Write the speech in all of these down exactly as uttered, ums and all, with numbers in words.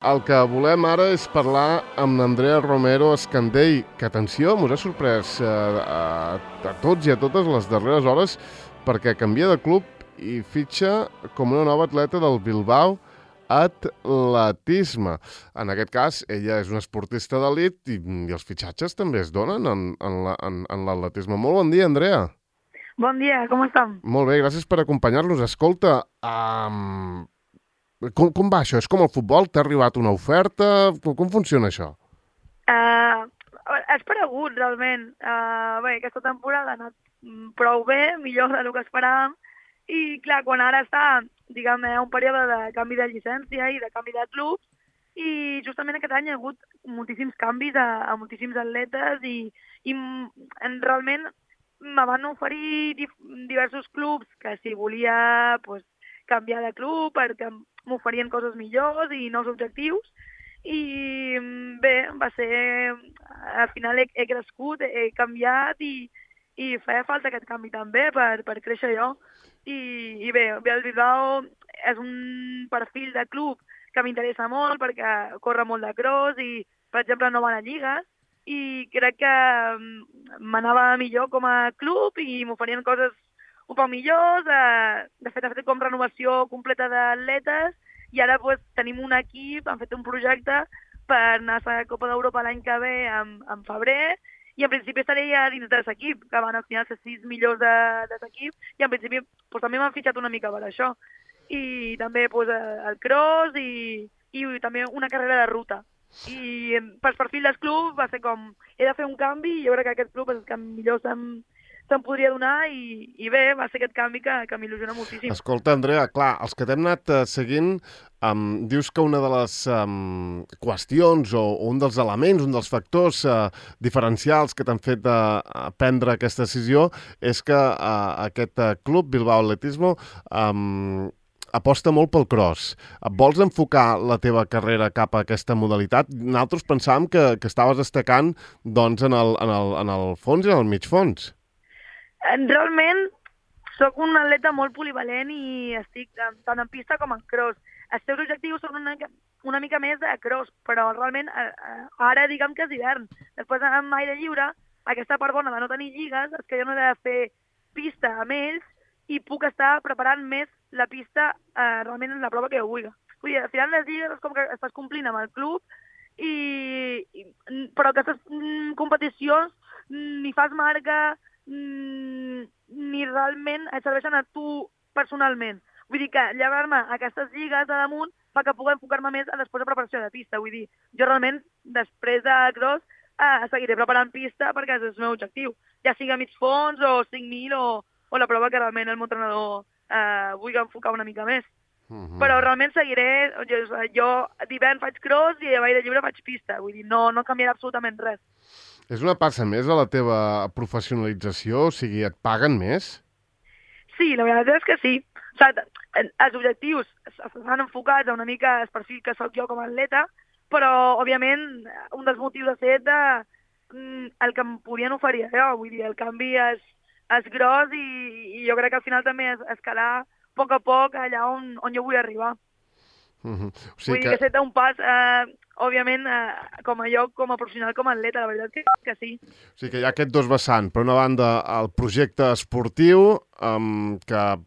El que volem ara és parlar amb l'Andrea Romero Escandell, que, atenció, ens ha sorprès eh, a, a tots i a totes les darreres hores perquè canvia de club i fitxa com una nova atleta del Bilbao Atletisme. En aquest cas, ella és una esportista d'elit i, i els fitxatges també es donen en, en, la, en, en l'atletisme. Molt bon dia, Andrea. Bon dia, com estem? Molt bé, gràcies per acompanyar-nos. Escolta, um, com, com va això? És com el futbol? T'ha arribat una oferta? Com, com funciona això? Uh, és paregut, realment. Uh, bé, aquesta temporada ha anat prou bé, millor del que esperàvem, i clar, quan ara està, diguem, un període de canvi de llicència i de canvi de clubs, i justament aquest any hi ha hagut moltíssims canvis a, a moltíssims atletes i, i en, realment me van oferir dif diversos clubs que si volia pues, canviar de club perquè m'oferien coses millors i nous objectius. I bé, va ser... Al final he, he crescut, he canviat i, i feia falta aquest canvi també per, per créixer jo. I, i bé, bé, el Bilbao és un perfil de club que m'interessa molt perquè corre molt de cross i, per exemple, no van a lligues i crec que m'anava millor com a club i m'oferien coses un poc millors. De fet, ha fet com renovació completa d'atletes i ara pues, tenim un equip, han fet un projecte per anar a la Copa d'Europa l'any que ve en, en febrer i en principi estaré ja dins d'aquest equip, que van al final ser sis millors d'aquest equip i en principi pues, també m'han fitxat una mica per això. I també pues, el cross i, i també una carrera de ruta. I pel perfil del club va ser com, he de fer un canvi i jo crec que aquest club és el que millor se'm, se'm podria donar i, i bé, va ser aquest canvi que, que m'il·lusiona moltíssim. Escolta, Andrea, clar, els que t'hem anat uh, seguint, um, dius que una de les um, qüestions o, o un dels elements, un dels factors uh, diferencials que t'han fet uh, prendre aquesta decisió és que uh, aquest uh, club, Bilbao Atletismo, um, aposta molt pel cross. Vols enfocar la teva carrera cap a aquesta modalitat? Nosaltres pensàvem que, que estaves destacant doncs, en, el, en, el, en el fons i en el mig fons. Realment, sóc un atleta molt polivalent i estic tant en pista com en cross. Els teus objectius són una, una mica més de cross, però realment ara diguem que és hivern. Després amb aire lliure, aquesta part bona de no tenir lligues és que jo no he de fer pista amb ells i puc estar preparant més la pista eh, realment en la prova que jo vulgui. Vull dir, al final les lligues és com que estàs complint amb el club, i, i, però aquestes mm, competicions mm, ni fas marca mm, ni realment et serveixen a tu personalment. Vull dir que llevar-me aquestes lligues de damunt fa que pugui enfocar-me més a després de preparació de pista. Vull dir, jo realment després de cross eh, seguiré preparant pista perquè és el meu objectiu. Ja sigui a mig fons o cinc mil o o la prova que realment el meu entrenador eh, vulgui enfocar una mica més. Uh -huh. Però realment seguiré, jo, jo d'hivern faig cross i a l'aire lliure faig pista, vull dir, no, no canviarà absolutament res. És una passa més a la teva professionalització? O sigui, et paguen més? Sí, la veritat és que sí. O sigui, els objectius estan enfocats a una mica el perfil que sóc jo com a atleta, però, òbviament, un dels motius ha estat de, el que em podien oferir jo, vull dir, el canvi és és gros i, i jo crec que al final també és escalar a poc a poc allà on, on jo vull arribar. Uh -huh. O sigui vull dir que, que ha un pas, eh, òbviament, eh, com a jo, com a professional, com a atleta, la veritat que, que sí. O sigui que hi ha aquest dos vessants. Per una banda, el projecte esportiu, um, que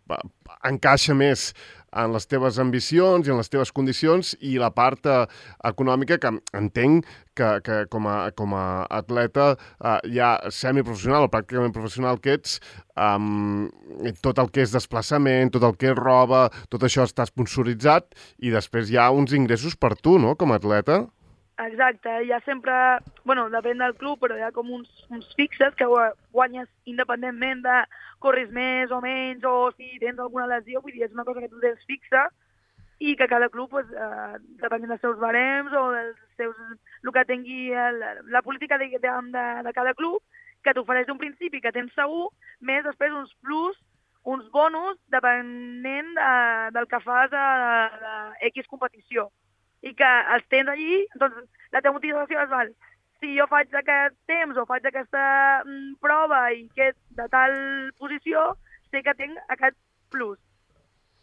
encaixa més en les teves ambicions i en les teves condicions, i la part eh, econòmica, que entenc que, que com, a, com a atleta eh, ja semiprofessional o pràcticament professional que ets, um, tot el que és desplaçament, tot el que és roba, tot això està sponsoritzat i després hi ha uns ingressos per tu, no?, com a atleta. Exacte, hi ha sempre, bueno, depèn del club, però hi ha com uns, uns fixes que guanyes independentment de corris més o menys o si tens alguna lesió, vull dir, és una cosa que tu tens fixa i que cada club, pues, eh, depenent dels seus barems o dels seus, el que tingui el, la política de, de, de cada club, que t'ofereix un principi que tens segur, més després uns plus, uns bonus, depenent de, del que fas a, a X competició. I que els tens allí, doncs la teva motivació és, val, si jo faig aquest temps o faig aquesta mm, prova i que de tal posició, sé que tinc aquest plus.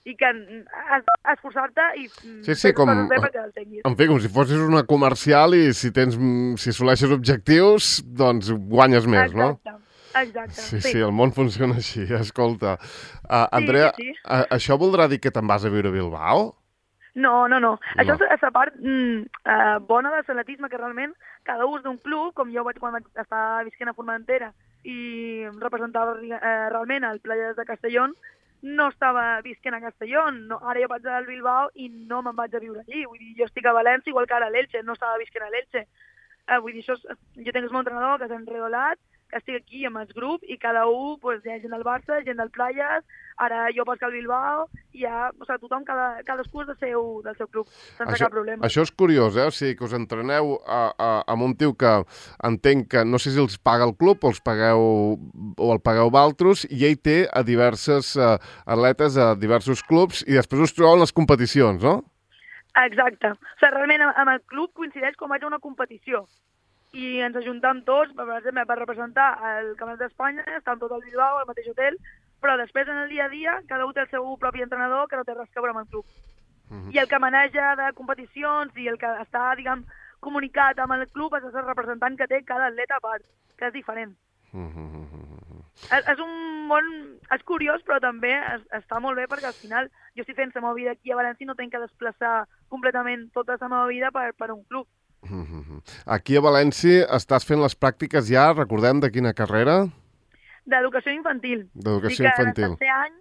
i que has d'esforçar-te i sí, sí, com, bé perquè el tinguis. En fi, com si fossis una comercial i si tens, si assoleixes objectius, doncs guanyes més, exacte, no? Exacte, sí. Sí, sí, el món funciona així, escolta. Uh, Andrea, sí, sí, sí. Uh, això voldrà dir que te'n vas a viure a Bilbao? No, no, no. No. Això és la part mm, uh, bona de l'atletisme, que realment cada ús d'un club, com jo vaig quan vaig estar visquent a Formentera i representava uh, realment el Playas de Castellón, no estava visquent a Castelló, no, ara jo vaig al Bilbao i no me'n vaig a viure allí. Vull dir, jo estic a València igual que ara a l'Elche, no estava visquent a l'Elche. Uh, vull dir, això és, jo tinc el meu entrenador, que és en Redolat, que estic aquí amb el grup i cada un, pues, hi ha gent del Barça, gent del Playas, ara jo vaig al Bilbao, i ja, o sigui, tothom, cada, cadascú és del seu, del seu club, sense això, cap problema. Això és curiós, eh? O sigui, que us entreneu a, a, amb un tio que entenc que no sé si els paga el club o els pagueu o el pagueu valtros, i ell té a diverses uh, atletes a diversos clubs i després us trobeu en les competicions, no? Exacte. O sigui, realment amb el club coincideix com vaig a una competició. I ens ajuntam tots, per exemple, per representar el Campionat d'Espanya, estem tots al Bilbao, al mateix hotel, però després en el dia a dia cada un té el seu propi entrenador que no té res a veure amb el club. Mm-hmm. I el que maneja de competicions i el que està, diguem, comunicat amb el club és el representant que té cada atleta a part, que és diferent. Mm-hmm. És, és un món... És curiós, però també es, està molt bé perquè al final jo estic fent la meva vida aquí a València i no tenc que desplaçar completament tota la meva vida per, per un club. Aquí a València estàs fent les pràctiques ja, recordem, de quina carrera? D'educació infantil. D'educació infantil. Dic que en el tercer any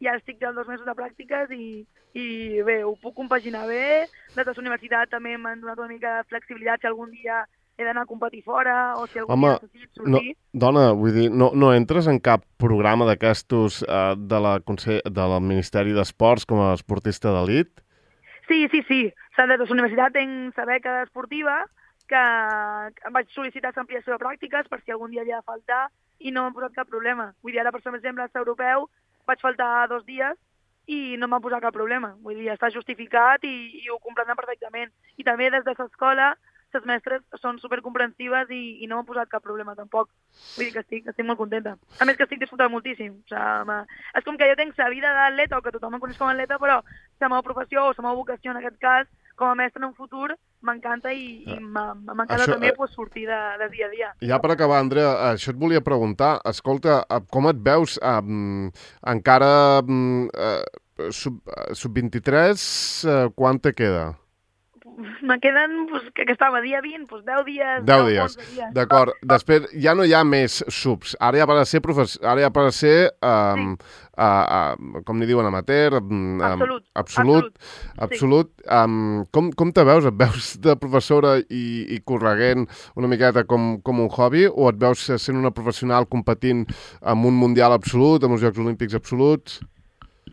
ja estic dels dos mesos de pràctiques i, i bé, ho puc compaginar bé. Des de la universitat també m'han donat una mica de flexibilitat si algun dia he d'anar a competir fora o si algun Home, dia necessit sortir. No, dona, vull dir, no, no entres en cap programa d'aquestos uh, de la Consell, del Ministeri d'Esports com a esportista d'elit? Sí, sí, sí. O sigui, des de la universitat tinc la beca esportiva que em vaig sol·licitar l'ampliació de pràctiques per si algun dia havia de faltar i no m'han posat cap problema. Vull dir, ara, per exemple, a l'europeu vaig faltar dos dies i no m'han posat cap problema. Vull dir, està justificat i, i ho comprenen perfectament. I també des de l'escola les mestres són supercomprensives i, i no m'han posat cap problema tampoc. Vull dir que estic, estic molt contenta. A més que estic disfrutant moltíssim. O sigui, és com que jo tinc la vida d'atleta o que tothom em coneix com a atleta, però la meva professió o la meva vocació en aquest cas com a mestre en un futur m'encanta i, i m'encanta això, també pues, sortir de, de dia a dia. Ja per acabar, Andrea, això et volia preguntar. Escolta, com et veus um, encara um, uh, sub, uh, sub vint-i-tres, uh, quan te queda? Me queden, pues, que, que estava dia vint, pues, deu dies. deu dies, dies. D'acord. Després ja no hi ha més subs. Ara ja per a ser, profes... Ara ja per a ser um, sí. uh, uh, com n'hi diuen, amateur, um, absolut. Absolut. Absolut. absolut. Sí. Um, com, com te veus? Et veus de professora i, i correguent una miqueta com, com un hobby o et veus sent una professional competint amb un mundial absolut, amb els Jocs Olímpics absoluts?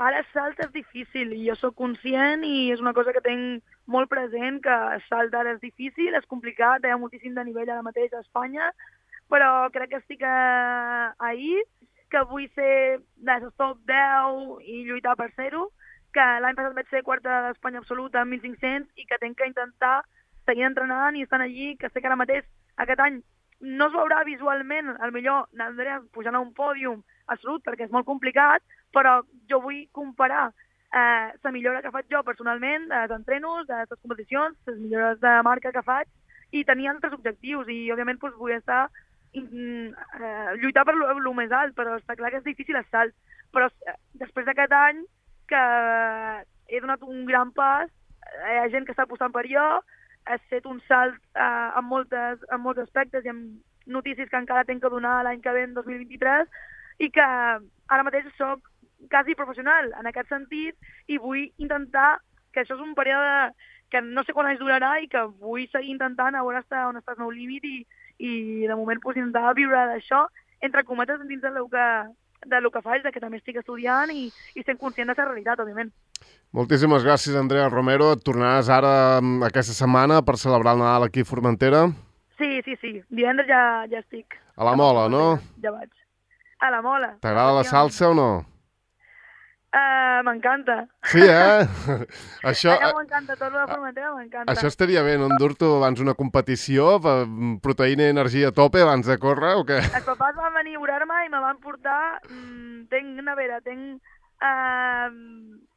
Ara salt és difícil i jo sóc conscient i és una cosa que tinc molt present, que salt ara és difícil, és complicat, hi ha moltíssim de nivell ara mateix a Espanya, però crec que estic a... ahir, que vull ser de les top deu i lluitar per ser-ho, que l'any passat vaig ser quarta d'Espanya absoluta amb mil cinc-cents i que tinc que intentar seguir entrenant i estar allí, que sé que ara mateix aquest any no es veurà visualment, al millor n'Andrea pujant a un pòdium absolut, perquè és molt complicat, però jo vull comparar eh, la millora que faig jo personalment, dels entrenos, de les competicions, les millores de marca que faig, i tenir altres objectius, i òbviament doncs, vull estar mm, eh, lluitar per el més alt, però està clar que és difícil el salt. Però eh, després d'aquest any que he donat un gran pas, hi ha gent que està apostant per jo, he fet un salt eh, en, moltes, en molts aspectes i amb notícies que encara tinc que donar l'any que ve, en dos mil vint-i-tres, i que ara mateix soc quasi professional en aquest sentit i vull intentar, que això és un període que no sé quan anys durarà i que vull seguir intentant a veure hasta on està el meu límit i, i de moment pues, intentar viure d'això, entre cometes, dins del que, del que faig, de que també estic estudiant i, i sent conscient de la realitat, òbviament. Moltíssimes gràcies, Andrea Romero. Et tornaràs ara aquesta setmana per celebrar el Nadal aquí a Formentera? Sí, sí, sí. Divendres ja, ja estic. A la Mola, no? Ja vaig. A la Mola. T'agrada la salsa o no? Uh, m'encanta. Sí, eh? Això... Allà m'encanta, tot la Formentera m'encanta. Això estaria bé, no endur-t'ho abans una competició, proteïna i energia a tope abans de córrer o què? Els papàs van venir a veure-me i me van portar... Mmm, tenc nevera, tenc eh,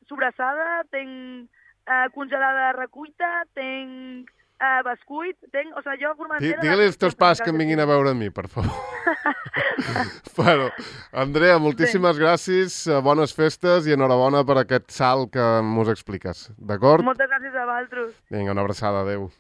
sobrassada, tinc eh, congelada recuita, tinc eh, bescuit, tinc... O sigui, jo Formentera... Digue-li als teus pares que em vinguin a veure a mi, per favor. Bueno, Andrea, moltíssimes gràcies, bones festes i enhorabona per aquest salt que mos expliques, d'acord? Moltes gràcies a vosaltres. Vinga, una abraçada, adeu.